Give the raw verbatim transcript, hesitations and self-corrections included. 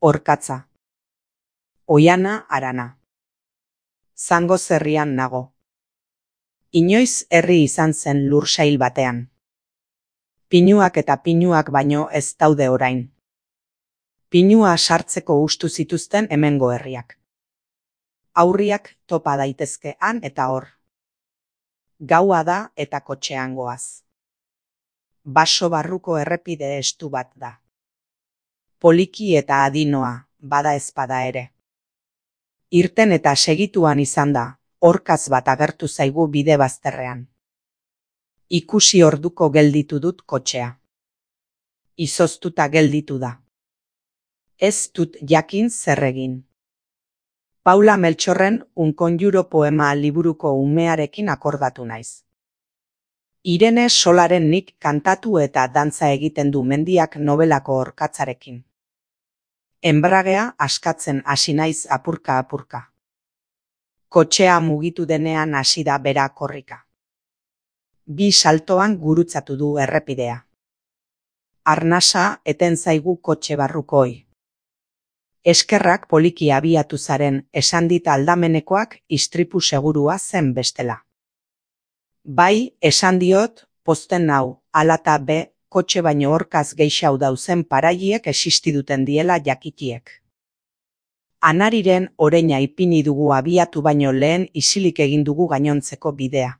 Orkatza. Oiana Arana. Zangoz herrian nago. Inoiz herri izan zen lursail batean. Pinuak eta pinuak baino ez daude orain. Pinua sartzeko ustu zituzten hemengo herriak. Aurriak topa daitezke han eta hor. Gaua da eta kotxean goaz. Baso barruko errepide estu bat da. Poliki eta adinoa, bada ezpada ere. Irten eta segituan izan da, orkaz bat agertu zaigu bide bazterrean. Ikusi orduko gelditu dut kotxea. Izoztuta gelditu da. Ez dut jakin zer egin. Paula Meltxorren Un konjuro poema liburuko umearekin akordatu naiz. Irene Solaren Nik kantatu eta dantza egiten du mendiak nobelako orkatzarekin. Enbragea askatzen hasi naiz apurka-apurka. Kotxea mugitu denean hasi da bera korrika. Bi saltoan gurutzatu du errepidea. Arnasa eten zaigu kotxe barrukoi. Eskerrak poliki abiatu zaren esan dit aldamenekoak istripu segurua zen bestela. Bai, esan diot, pozten nau, alata be, kotxe baino orkaz geixau dauzen paraiek existiduten diela jakitiek. Anariren oreina ipini dugu abiatu baino lehen isilik egin dugu gainontzeko bidea.